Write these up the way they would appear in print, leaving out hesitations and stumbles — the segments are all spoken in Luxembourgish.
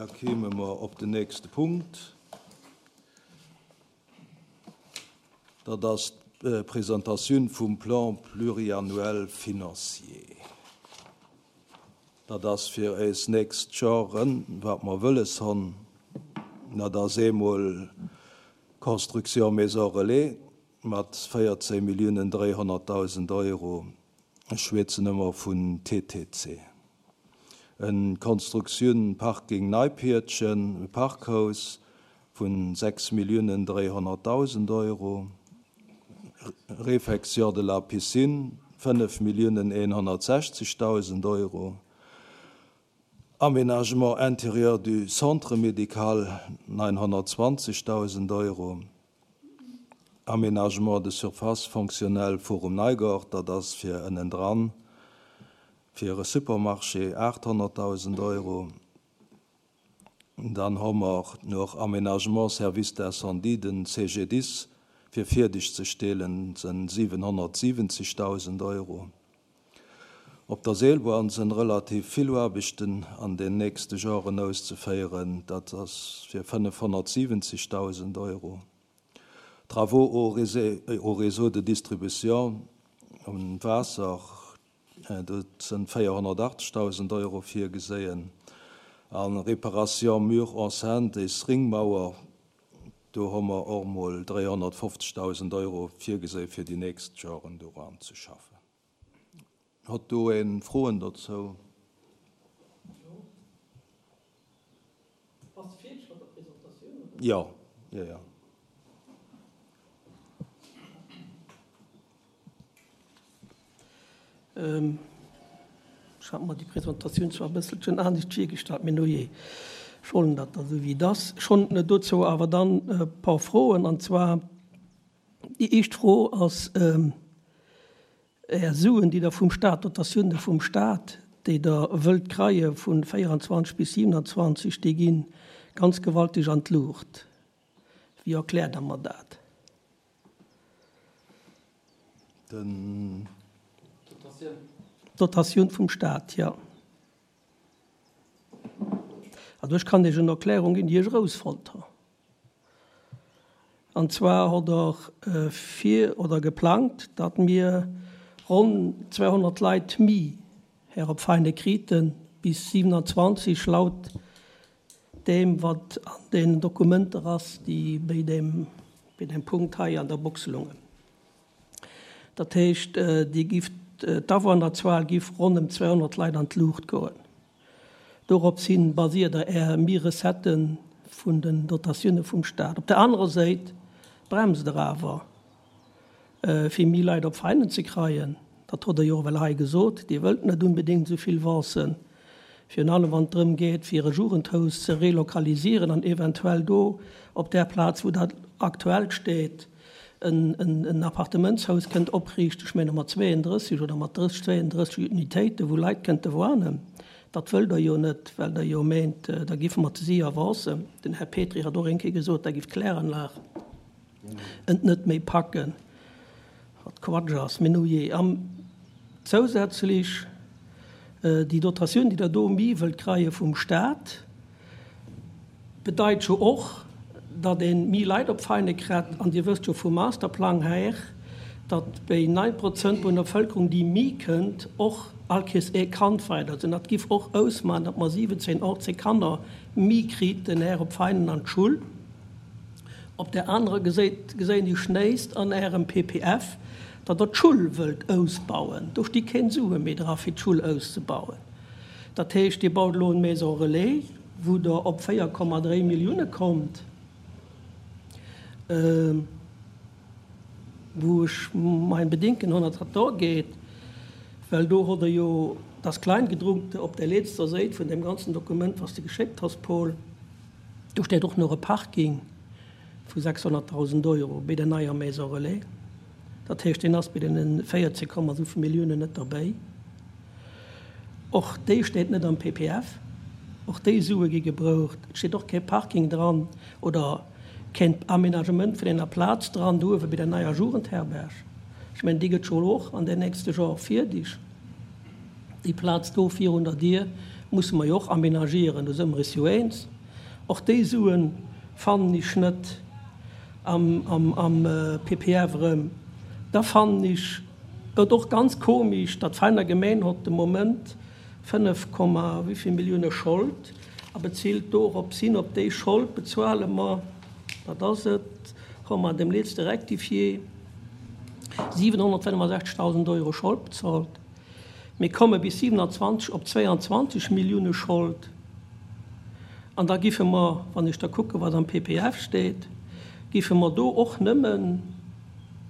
Da kéime mer op den nächste Punkt. Dat ass d'Presentatioun vum Plan pluriannuel financier. Dat ass fir éis nächst Joren, wat mer wëlles honn. Dat ass eemol Construction Maison Relais mat 14 Milliounen 300.000 Euro. Ech schwätzen ëmmer vun TTC. En Constructioun Parking Neipiertchen, e Parkhaus vun 6.300.000 Euro, Réfection de la piscine 5.160.000 Euro, Aménagement intérieur du centre médical 920.000 Euro, Aménagement de surface fonctionnelle Forum Neigort, dat ass fir ënnendran, Fir e Supermarché 800.000 Euro. Dann hu mer nach Aménagement Service d'incendie, den CGDIS, fir fierdeg ze stelen, sënn 770.000 Euro. Op der Seelbahn sënn relativ vill Aarbechten an den nächste Joren auszeféieren, dat ass fir 570.000 Euro. Travaux au réseau de distribution um Waasser, Do sënn 480.000 Euro virgeséien. A Réparation mur enceinte et Ringmauer, do hu mer och emol 350.000 Euro virgeséi fir déi nächst Joren doran ze schaffen. Hott do ee Froen dozou? Bass de fierdeg mat der Presentatioun, oder? Jo, jo, jo. Ech hat mer déi Presentatioun zwar e bësselchen anescht virgestallt, mee nujee, ech hollen dat da sou wéi et ass. Ech hunn dozou awer dann e paar Froen, an zwar déi éischt Fro ass, Är Suen, déi Der vum Stat, d'Dotatioune vum Stat, déi Der wëllt kreie vu 24 bis 27, déi gi ganz gewaltig an d'Luucht. Wéi erkläert Der mer dat? Den. D'Dotatioun vum Stat, jo. Also ech kann Iech en Erklärung ginn, déi ech erausfonnt hunn. An zwar hott Der vir oder geplangt, datt mir ronn 200 Leit mi här op Veine kriten bis 27 laut deem wat an deenen Dokumenter ass, déi béi deem, béi deem Punkt hei an der Box lungen. Dat heescht, déi giff, d'Awunnerzuel giff ronn ëm 200 Leit an d'Luucht goen. Dorops hin basiert Der Är mi Recetten vun den Dotatioune vum Staat. Op der anerer Séit bremst Der awer, fir mi Leit op Veinen ze kreien. Dat hott Der jo och ewell hei gesot. Dir wëllt net unbedéngt esou vill Vancen, virun allem wann et drëm geet, fir e Jugendhaus ze relokalisieren an eventuell do op där Plaz, wou dat aktuell steet, en Appartementshaus kënnt opriichten, ech menge mat 32 oder mat 30, 32 Unitéiten, wou Leit kënnte woanen. Dat wëllt Der jo net, well Der jo meent, da giffe mer ze séier avancen. Den Här Petry hat och eng Kéier gesot, da giff d'Kläranlag et net méi packen, wat Quatsch ass. Mee nujee. An zousätzlech déi Dotatioun, déi Der do méi wëllt kreie vum Stat, Bedeit jo och, datt ee méi Leit op Veine krett. An Dir wësst jo vum Masterplang her, datt béi 9 Prozent vun der Bevëlkerung, déi méi kënnt, och all Kees ee Kand weider sinn. Dat giff och ausmachen, datt mer 17, 18 Kanner méi kriten her op Veinen an d'Schull. Op där anerer Geséit geséien ech nächst an Ärem PPF, datt Der d'Schull wëllt ausbauen. Do sti keen Sue méi dra fir d'Schull auszebauen. Dat heescht, Dir baut elo en Maison relais, wou Der op 4,3 Millioune kommt, wou ech mein Bedinken hunn, datt dat do geet, well do hutt Der jo das Kleingedruckte op der letzter Séit vun deem ganzen Dokument, was de geschéckt has, Paul, do steet och nach e Parking vu 600.000 Euro béi der neier Maison relais. Dat heescht, deen ass bei deene 14 Komma souvill Milliounen net derbäi. Och déi steet net am PPF. Och déi Sue gi gebroucht. Et steet och kee Parking dran oder keen Aménagement vun enger Plaz dran do uewe bei der neier Jugendherberg. Ech mengen, déi gëtt scho och an den nächste Jore fierdeg, déi Plaz do virun der Dier. musse mer jo och aménagieren, do si mer is jo eens. Och déi Sue fannen ech net am PPF erëm. Da fannen ech et och ganz komisch, datt d'Veiner Gemeng hott de Moment 5 Komma wéivill Millioune Schold a bezilt dorops hin, op déi Schold bezuale mer, wat ass et, hu mer an deem letzte Rectifié 765.000 Euro Schold bezahlt. Mir komme bis 27 op 22 Millioune Schold. An da giffe mer, wann ech da kucke wat am PPF steet, giffe mer do och nëmmen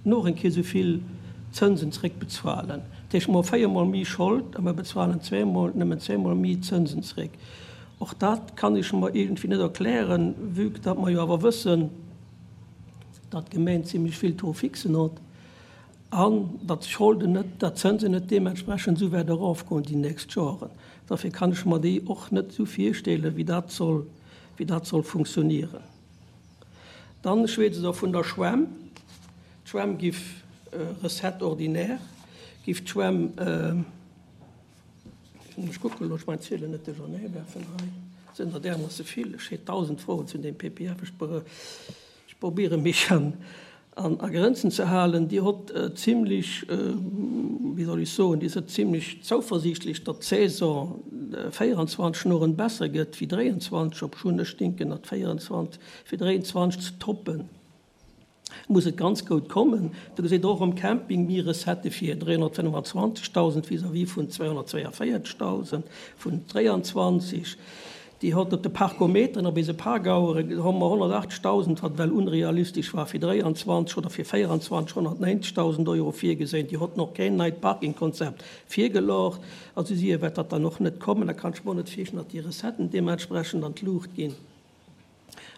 noch eng Kéier esou vill Zënsen zréckbezualen. Dat heescht, mer hu véiermol méi Schold a mer bezualen zweemol, nëmmen zweemol méi Zënsen zréck. Och dat kann ech mer iergendwéi net erklären, vue que datt mer jo awer wëssen, datt d'Gemeng zimlech vill Taux fixen huet an datt d'Scholden net, datt d'Zënsen net deementsprechend esou wäert erofgoen déi nächst Joren. Dofir kann ech mer déi och net esou virstellen, wéi dat soll, wéi dat soll funktionieren. Dann schwätzt Der vun der Schwämm. D'Schwämm giff, Recette ordinaire, giff d'Schwämm, ech kucken elo, ech mein d'Zielen net duerchernee werfen hei, et sinn der därmoosse vill, ech hätt 1.000 Froen zu deem PPF, ech ech probiere mech an a Grenzen ze halen. Dir hott zimlech, wéi soll ech soen, Dir sidd zimlech zouversiichtlech, datt d'Saison 24 noren besser gëtt wéi 23, obschonn ech denken, datt 24 fir 23 ze toppen, muss et ganz goud kommen. Do geséit Der och um Camping méi Recettë fir 325.000 vis-à-vis vun 242.000 vun 23. Déi hott op de Parkometeren op eise Parkauere hu mer 180.000, wat well unrealistesch war fir 23 oder fir 24 190.000 Euro virgeséin. Déi hott nach keen neit Parkingkonzept virgelocht. Also si wäert dat dann och net kommen. Da kann ech mer och net virstellen, datt déi Recetten deementsprechend an d'Luucht ginn.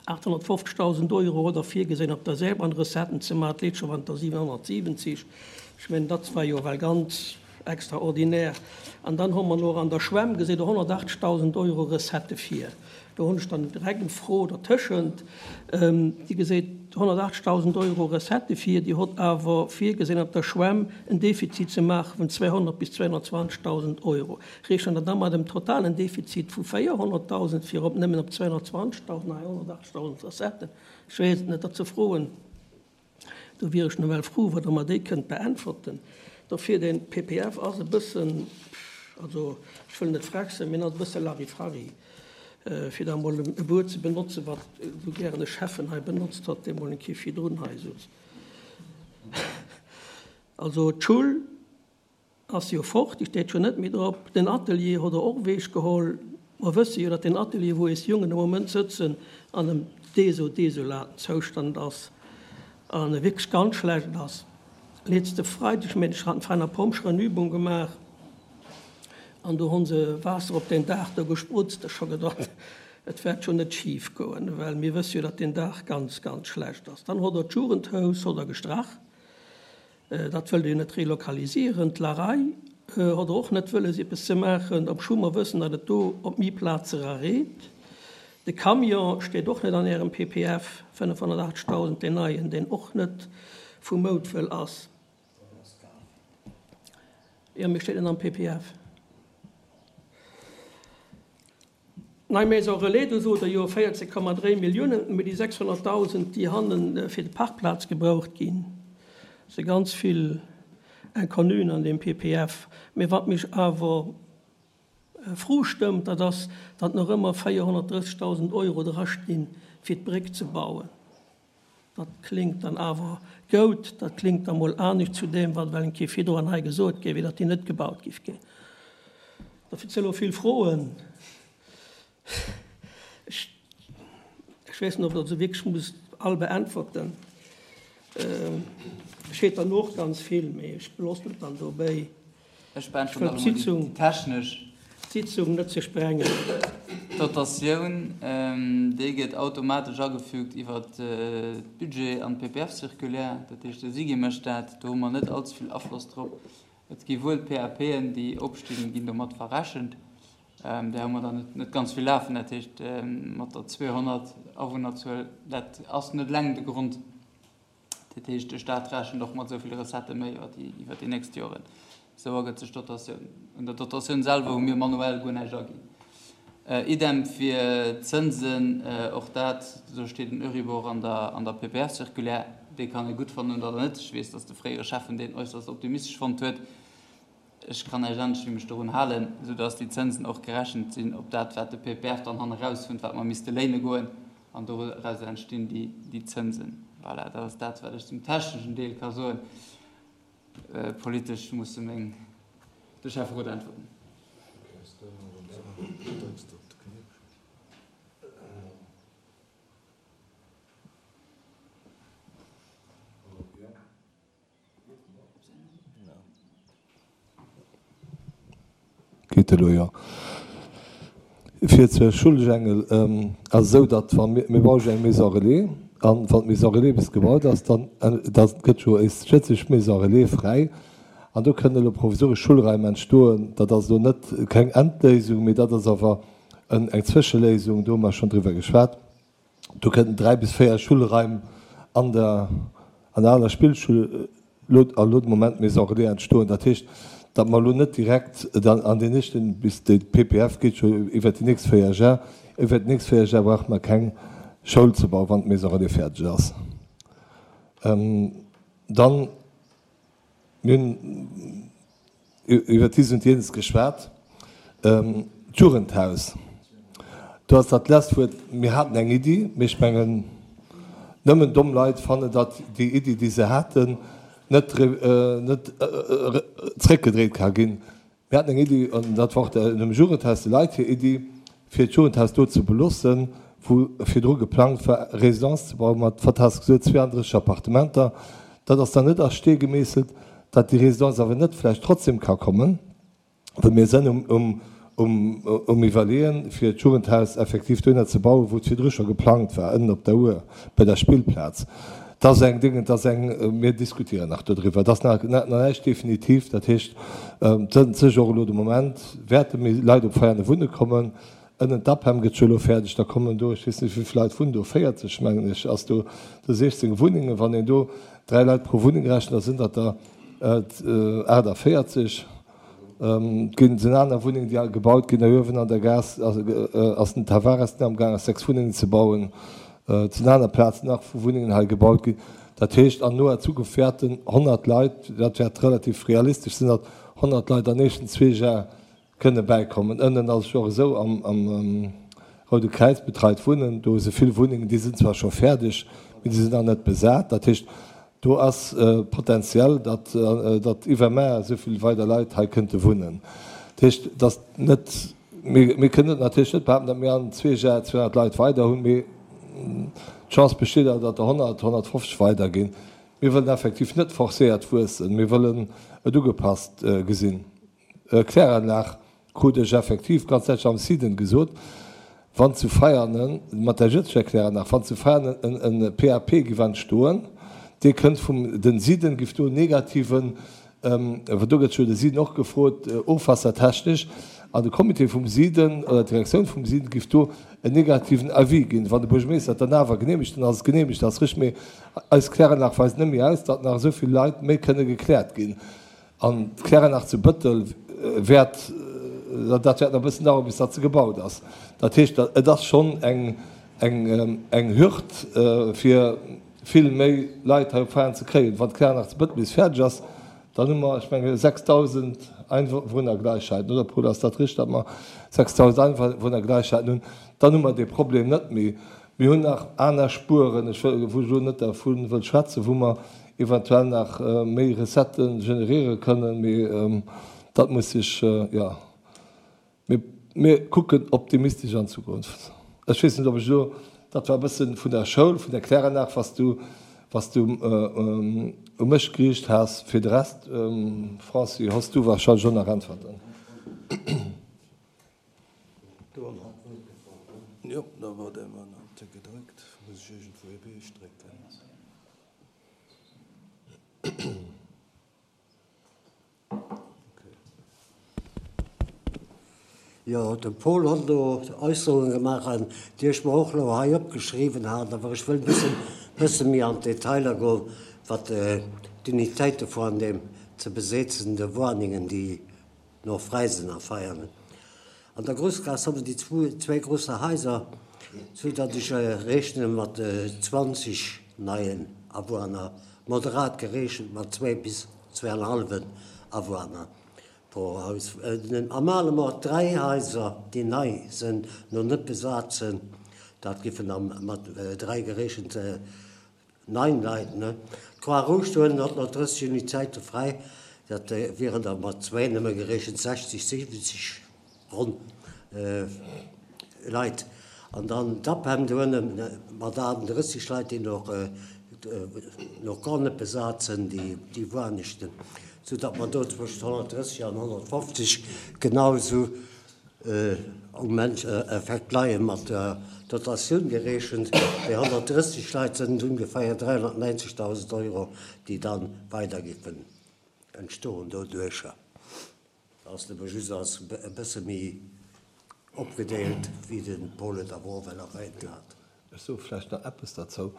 850.000 Euro oder virgesinn op der Seebahn Recetten ze maachen, d'Leet scho wanter 770. Ech mengen, dat war jo well ganz extraordinär. An dann hu mer nach an der Schwämm, gesitt Der, 180.000 Euro Recettë vir. Do hunn ech dann direkt eng Fro dertëschent. Dir geséit 180.000 Euro Recettë vir, Dir hutt awer virgesinn op der Schwämm en Defizit ze maache vun 200 bis 220.000 Euro. Rechent Der da mat em totalen Defizit vu 400.000 fir op nëmmen op 220.000 a 180.000 Recetten? Ech weess et net. Dat ze froen, do wier ech nawell frou, wa Der mer déi kënnt beäntwerten. Dofir, den PPF ass e bëssen, also ech wëll net frech sinn, mee en ass e bësse Larifari, fir da emol e Wuert ze benotzen, wat esou gären e Schäffen hei benotzt huet, dee mol eng Kéier virdrun hei souz. Also d'Schull Ass jo fort, déi steet jo net méi drop. Den Atelier hott der och eweg geholl. Mer wësse jo, datt den Atelier, wou eis Jongen am Moment sëtzen, an em deso desolaten Zoustand ass an e wierklech ganz schlecht ass. Letzte Freideg, meen ech, haten d'Vereiner Pompjeeën eng Übung gemaach an do honn se Waasser op deen Daach do gesprutzt. Ech scho gedacht, et wäert jo net schif goen, well mir wësse jo, datt deen Daach ganz, ganz schlecht ass. Dann hott der d'Jugendhaus hott der gestrach. Dat wëllt Der jo net relocalisieren. D'Larei hott Der och net wëlles eppes ze maachen, obscho mer wëssen, datt et do op méi Plaze rareet. De Camion steet och net an Ärem PPF, 580.000, deen neien, deen och net vu Moutwëll ass. Jo, mee steet net am PPF. Nei Maison Relais, do sot Der jo 14,3 Milliounen, mee déi 600.000, déi hanne fir de Parkplaz gebraucht ginn, si ganz vill Inconnuen an deem PPF. Mee wat mech awer frou stëmmt, dat ass, datt nach ëmmer 430.000 Euro drastinn, fir d'Bréck ze bauen. Dat kléngt dann awer goud. Dat kléngt da mol anescht zu deem, wat well eng Kéier virdroan hei gesot géif, wéi datt déi net gebaut géif ginn. Dofir si elo vill Froen. Ech, ech weess net, ob Der se wierklech musst all beäntwerten. Ech hätt der nach ganz vill, mee ech beloossen et dann dobäi. Ech beäntweren nach emol déi technesch. D'Sitzung net ze sprengen. D'Dotatioun, déi gëtt automatesch agefügt iwwer d'Budget an d'PPF-Circulaire. Dat heescht, de SIGI mécht dat. Do hu mer net allze vill Afloss drop. Et gi wuel PAPen, déi opstinn, ginn domat verrechent. Där hu mer der net ganz vill lafen. Dat heescht, mat der 200 Awunnerzuel, dat ass net eleng de Grond. Dat heescht, de Staat rechent och mat esou vill Recettë méi iwwer déi nächst Joren. Esou ergëtt sech d'Dotatioun. Un der Dotatioun selwer hu mir manuell guer näischt aginn. Idem fir d'Zënsen, och dat, do steet en Euribor an der an der PPF-Circulaire, dee kann ee gutt fannen oder net. Ech weess, datt de fréiere Schäffen deen äusserst optimistesch fonnt huet. Ech kann näischt anescht wéi mech dorun halen, soudatt déi Zënsen och gerechent sinn op dat, wat de PPF dann hanne rausfënnt, wat mer misste léine goen, an dorauser entstinn déi déi Zënsen. Voilà, dat ass dat, wat ech zum techneschen Deel ka soen. Politesch musse meng de Schäfferot äntwerten. Geet elo, jo. Fir zur Schullegengel ass esou, datt wa mir, mir brauche eng Maison relais an wann d'Maison relais bis gebaut ass, dann da gëtt jo éis schëtzeg Maison relais fräi an do kënnen elo provisoresch Schulraim entstoen. Dat ass elo net keng Endléisung, mee dat ass awer eng Zwëscheléisung, do hu mer schonn driwwer geschwat. Do kënnten 3 bis 4 Schulraim an der an der aler Spillschull elo a elo de Moment Maison Relais entstoen. Dat heescht, datt mer elo net direkt dann an den nächsten, bis de PPF geet jo iwwert déi nächst 4 Jar, iwwert déi nächst 4 Jar brauche mer keng Schoul ze bauen, wann d'Maison Relais fäerdeg ass. Dann. Mir hunn iwwer dies und jenes geschwat. D'Jugendhaus, do ass dat lescht Wuert, mir haten eng Iddi, mee ech mengen, nëmmen domm Leit fannen, datt déi Iddi, déi se haten, net zréckgedréit ka ginn. Mir haten eng Iddi, an dat war och dem Jugendhaus de Leit hir Iddi, fir d'Jugendhaus do ze beloossen, wou virdru geplangt war, Résidence ze bauen, mat, wat has de gesot, 32 Appartementer. Dat ass dann net a Stee gemeesselt, datt déi Résidence awer net vläicht trotzdem ka kommen, well mir sënn um Iwwerleeën, fir d'Jugendhaus effektiv dohinner ze bauen, wou et virdru scho geplangt war, ënnen op der Our bei der Spillplaz. Dat ass eng Ding, dat ass eng, mir diskutieren nach dodriwwer, et ass nach näischt definitiv. Dat heescht, et sënnt sech och elo de Moment, wäerte méi Leit op Veiane wunne kommen. Ënnen d'APEM gëtt jo elo fäerdeg, da kommen do, ech weess net wéi vill Leit wunnen do, 40 mengen ech, ass do, do 16 Wunnengen. Wann een do dräi Leit pro Wunneng rechent, da sinn dat der 48. Et ginn sinn aner Wunnengen, déi gebaut ginn. Uewen an der Gaass ass den Tavares, deen amgaang ass 6 Wunnengen ze bauen. Et sinn aner Plazen nach, wou Wunnengen hei gebaut ginn. Dat heescht, an noer Zukunft wäerten 100 Leit, dat wäert relativ realistesch sinn, datt 100 Leit an nächsten zwee Jar kënne bäikommen. Ënnen ass et jo och esou, am Roude Kräiz betreit Wunnen, do si vill Wunnengen, déi sinn zwar scho fäerdeg, mee déi sinn nach net besat. Dat heescht, do ass potentiell, datt, datt iwwermaer esou vill weider Leit hei kënnte wunnen. Dat heescht, et ass net, mir, mir kënnen net natierlech net behaapten, datt mir an zwee Jar 200 Leit weider hunn, mee d'Chance besteet awer, datt der 100, 150 weider ginn. Mir wëllen effektiv net forcéiert wuessen, mir wëllen et ugepasst gesinn. Kläranlag krut ech effektiv ganz däitlech am SIDEN gesot, wann zu Veianen, mat der jëtzeger Kläranlag, wann zu Veianen en PAP giff entstoen, dee kënnt vum den SIDEN, giff do en negativen, well do gëtt jo de SIDEN och gefrot, ofwassertechnesch, an de Comité vum SIDEN oder d'Direktioun vum SIDEN giff do en negativen Avis ginn. Wann de Buergermeeschter et dann awer geneemegt, dann ass et geneemegt, dat ass richteg, mee eis Kläranlag weist net méi aus, datt nach esou vill Leit méi kënne gekläert ginn. An d'Kläranlag zu Bëttel wäert, dat wäert nach e bëssen daueren, bis datt se gebaut ass. Dat heescht, et ass schonn eng, eng Hürd, fir vill méi Leit hei op Veianen ze kréien. Wann d'Kläranlag zu Bëttel bis fäerdeg ass, dann hu mer, ech menge 6.000 Einwohnergleichheiten, oder Paul, ass dat richteg, datt mer 6.000 Einwohnergleichheiten hunn? Dann hu mer dee Problem net méi. Mir hunn nach aner Spueren, ech wëll, wou ech elo net dervu wëll schwätzen, wou mer eventuell nach méi Recettë generéiere kënnen, mee dat muss sech, jo, mir, mir kucken optimistesch an d'Zukunft. Ech weess net, ob ech elo, dat war e bësse vun der Schoul, vun der Kläranlag, was du, was du u mech geriicht has. Fir de Rest, Franci, hoss du wahrscheinlech och nach Äntwerten. Jo, da war däi Mann alt gedréckt. Muss ech iergendwou ee Beech drécken? Jo, de Paul hott elo Äusserunge gemaach, an déi ech mer och elo hei opgeschriwwen hat, awer ech wëll e bëssen, bësse méi an d'Detailer goen, wat d'Unitéite vu an deem ze besetzende Woaningen, déi no fräi sinn a Veianen. An der Groussgaass hu mer déi zwéi grousse Haiser, sou datt ech rechne mat 20 neien Awunner, moderat gerechent mat zwéi bis zweeanhallwen Awunner pro Haus. Am Malemort dräi Haiser, déi nei sinn, no net besat sinn, dat giffen da mat dräi gerechent 9 Leit, ne? D'Croix Rouge dohannen hat nach 30 Unitéite fräi, dat wieren der mat zwéin nëmme gerechent 60, 70 ronn Leit. An dann d'APEM dohanne mat 38 Leit, déi nach nach gar net besat sinn, déi Wuanechten, soudatt mer do zwëschent 130 an 150 genau esou Um Endeffekt leie mat der Dotatioun gerechent déi 130 Leit sënn et ongeféier 390.000 Euro, déi da weider géifen entstoen doduercher. Dat ass nëmme just als e bësse méi opgedeelt, wéi de Paul et awer och well erwähnt hat. Ech soe vläicht nach eppes derzou.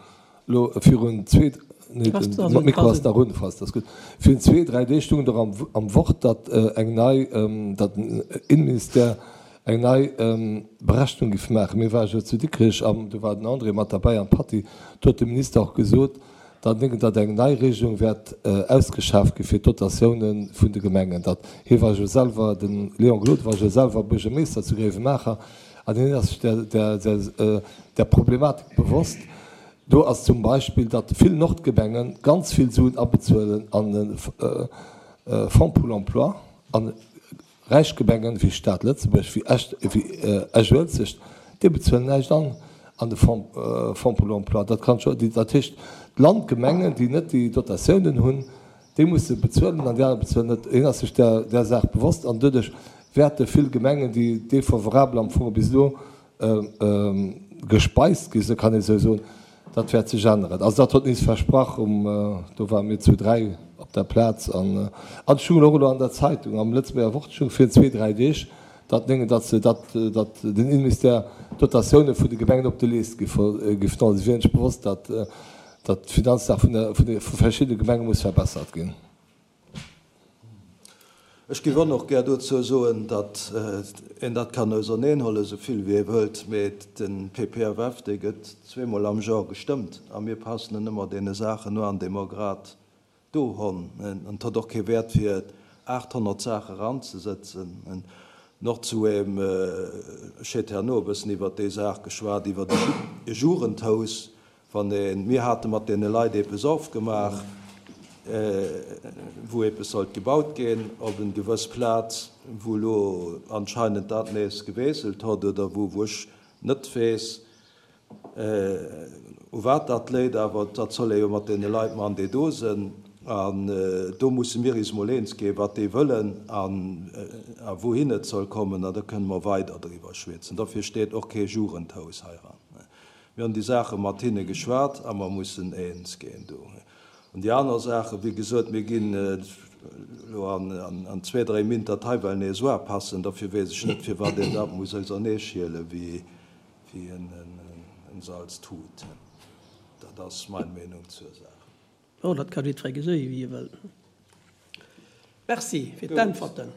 Elo virun zwee, nee, de Mikro ass nach un, falls dat ass gutt. Virun zwee, dräi Deeg stoung et och am Wort, datt eng nei, datt den Innenministère eng nei Berechnung géif maachen. Mir ware jo zu Dikrech an do war den André mat derbäi an d'Patty. Do huet de Minister och gesot, datt datt eng nei Regelung wäert ausgeschaaft gi fir d'Dotatiounen vun de Gemengen. Datt hie war jo selwer, de Léon Gloden war jo selwer Buergermeeschter zu Gréiwemaacher, An hien ass sech där Problematik bewosst. Do ass zum Beispill, datt vill Nordgemenge ganz vill Suen abezuelen an de Fonds pour l'emploi a räich Gemengen, wéi d'Stad Lëtzebuerg, wéi Esch-Uelzecht, déi bezuelen näischt an an de Fonds pour l'emploi. Dat kann scho, dat heescht, d'Landgemengen, déi net déi Dotatiounen hunn, Déi musse bezuelen an déi aner bezuelen net. Hien ass sech där Saach bewosst an doduerch wäerte vill Gemengen, déi defavorabel am Fong bis elo gespeist gi sinn, kann ee sou soen, dat wäert sech änneren. Also dat huet en is versprach um, do ware mir zu 3 op der Plaz an et stoung och elo an der Zeitung, am Lëtzebuerger Wort stoung virun zwee, dräi Deeg, datt néngen, datt se, datt, datt den Innenministère d'Dotatioune vun de Gemengen op de Leescht giff huelen. Si wieren sech bewosst, datt datt d'Finanzlag vun der, vun de, vu verschiddene Gemenge muss verbessert ginn. Ech géif och nach gär dozou soen, datt een dat kann auserneenhuelen, esou vill wéi ee wëllt, mee de PPFF, dee gëtt zweemol am Jor gestëmmt a mir passen en ëmmer deene Saachen no an, déi mer grad do honn. An et huet och kee Wäert fir 800 Saache eranzesëtzen. Noch zu eem, ech hätt herno e bëssen iwwert déi Saach geschwat, iwwert e Jugendhaus, Wann een, mir hate mat deene Leit eepes ofgemaach, wou eepes sollt gebaut ginn op en gewëss Plaz, wou elo anscheinend dat nees geweeselt hott oder wou, wou ech net weess, u wat dat léit, awer dat soll ee jo mat deene Leit man, déi do sinn. An do musse mir is mol eens ginn, wat déi wëllen an a wouhin et soll kommen, an da kënne mer weider driwwer schwätzen. Dofir steet och kee Jugendhaus heiran. Mir hunn déi Saache mat hinne geschwat a mer mussen eens ginn do. An déi aner Saachen, wéi gesot, mir ginn elo an zwee, dréi Min dat hei well nees uapassen. Dofir weess ech net, firwat een dat muss auserneeschiele wéi en Salztut. Dat ass mein Meenung zur Saach. Oh, dat ka jiddweree geséien, wéi e wëll. Merci fir d'Äntwerten.